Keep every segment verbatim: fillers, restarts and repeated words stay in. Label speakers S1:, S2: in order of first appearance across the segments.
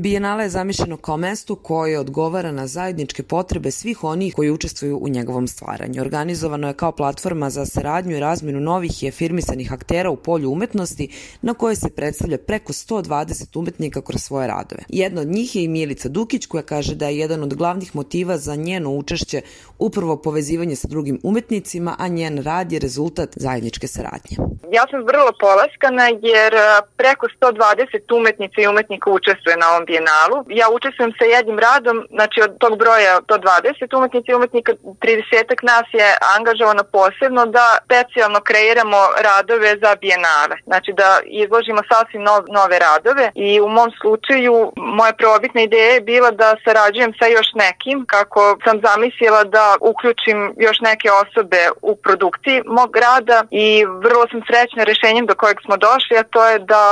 S1: Bijenale je zamišljeno kao mesto koje odgovara na zajedničke potrebe svih onih koji učestvuju u njegovom stvaranju. Organizovano je kao platforma za saradnju i razmenu novih i afirmisanih aktera u polju umetnosti na koje se predstavlja preko sto dvadeset umetnika kroz svoje radove. Jedna od njih je i Milica Dukić, koja kaže da je jedan od glavnih motiva za njeno učešće upravo povezivanje sa drugim umetnicima, a njen rad je rezultat zajedničke saradnje.
S2: Ja sam vrlo polaskana jer preko sto dvadeset umetnica i umetnika učestvuje na ovom bijenalu. Ja učestvujem sa jednim radom, znači od tog broja sto dvadeset umetnica i umetnika, trideset nas je angažovano posebno da specijalno kreiramo radove za bijenale. Znači da izložimo sasvim nov, nove radove i u mom slučaju moja prvobitna ideja je bila da sarađujem sa još nekim, kako sam zamislila da uključim još neke osobe u produkciji mog rada i vrlo sam srećna rešenjem do kojeg smo došli, a to je da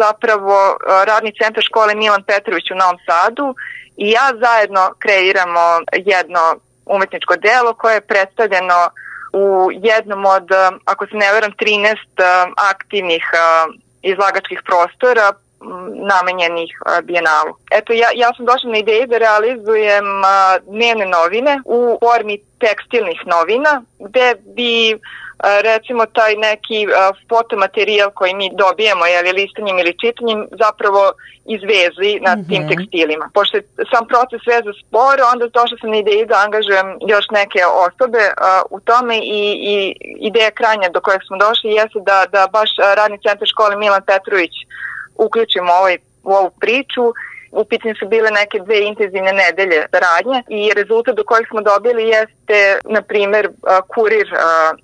S2: zapravo radni centar škole Milan Petrović u Novom Sadu i ja zajedno kreiramo jedno umetničko delo koje je predstavljeno u jednom od, ako se ne veram, trinaest aktivnih izlagačkih prostora namenjenih bijenalu. Eto, ja, ja sam došla na ideju da realizujem dnevne novine u formi tekstilnih novina, gde bi recimo taj neki fotomaterijal koji mi dobijemo, jel, listanjem ili čitanjem, zapravo izvezli na mm-hmm. tim tekstilima. Pošto je sam proces veza spor, onda došla sam na ideju da angažujem još neke osobe uh, u tome i, i ideja krajnja do kojeg smo došli jeste da, da baš radni centar škole Milan Petrović uključimo ovaj, u ovu priču. U pitanju su bile neke dve intenzivne nedelje saradnje i rezultat do kojeg smo dobili jeste, na primjer, kurir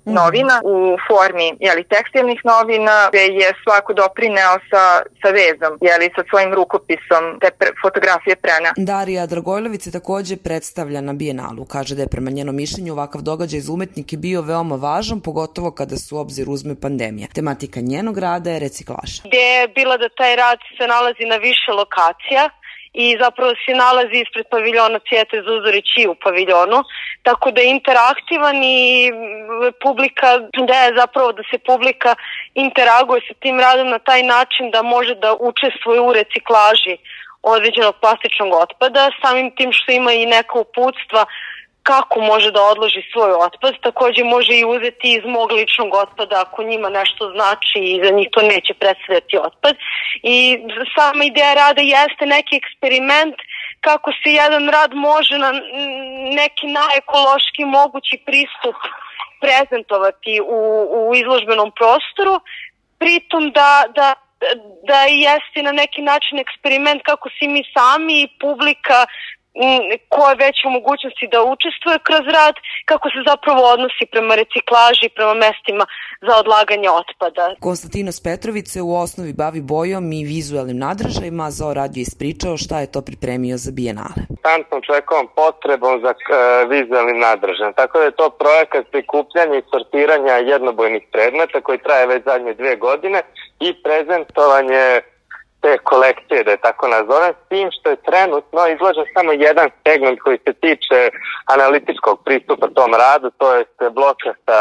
S2: novina u formi jeli, tekstilnih novina, gde je svako doprineo sa, sa vezom, jeli, sa svojim rukopisom te pre, fotografije prena.
S1: Darija Dragojlović se takođe predstavlja na bijenalu. Kaže da je prema njenom mišljenju ovakav događaj za umetnike bio veoma važan, pogotovo kada se u obzir uzme pandemija. Tematika njenog rada je reciklaža.
S3: Gde je bila da taj rad se nalazi na više lokacija i zapravo se nalazi ispred paviljona Cvijete Zuzorić i u paviljonu, tako da je interaktivan i publika, da je zapravo da se publika interaguje sa tim radom na taj način da može da učestvuje u reciklaži određenog plastičnog otpada, samim tim što ima i neka uputstva kako može da odloži svoj otpad, takođe može i uzeti iz mog ličnog otpada ako njima nešto znači i za njih to neće predstavljati otpad. I sama ideja rada jeste neki eksperiment kako se jedan rad može na neki najekološki mogući pristup prezentovati u, u izložbenom prostoru, pritom da, da, da jeste na neki način eksperiment kako si mi sami i publika ko je već u mogućnosti da učestvuje kroz rad, kako se zapravo odnosi prema reciklaži, prema mestima za odlaganje otpada.
S1: Konstantinos Petrović se u osnovi bavi bojom i vizualnim nadražajima, Zao radio ispričao šta je to pripremio za bijenale.
S4: Konstantnom čovjekovom potrebom za uh, vizualnim nadražajem. Tako da je to projekat prikupljanja i sortiranja jednobojnih predmeta koji traje već zadnje dvije godine i prezentovanje te kolekcije, da je tako nazovem, s tim što je trenutno izložen samo jedan segment koji se tiče analitičkog pristupa tom radu, to je bloka sa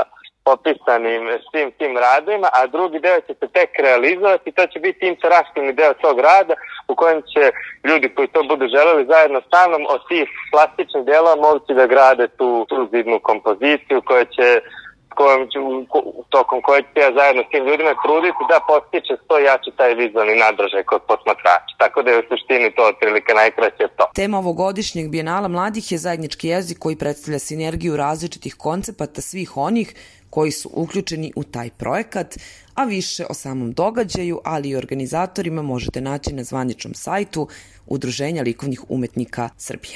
S4: popisanim svim tim radovima, a drugi deo će se tek realizovati, to će biti interaktivni deo tog rada u kojem će ljudi koji to budu želeli zajedno sa mnom od tih plastičnih delova moći da grade tu, tu zidnu kompoziciju koja će kojom ću, tokom koje ću ja zajedno s tim ljudima truditi da postiče što jači taj vizualni nadražaj kod posmatrača. Tako da je u suštini to otprilike najkraće to.
S1: Tema ovogodišnjeg bijenala mladih je zajednički jezik koji predstavlja sinergiju različitih koncepata svih onih koji su uključeni u taj projekat, a više o samom događaju, ali i organizatorima možete naći na zvaničnom sajtu Udruženja likovnih umetnika Srbije.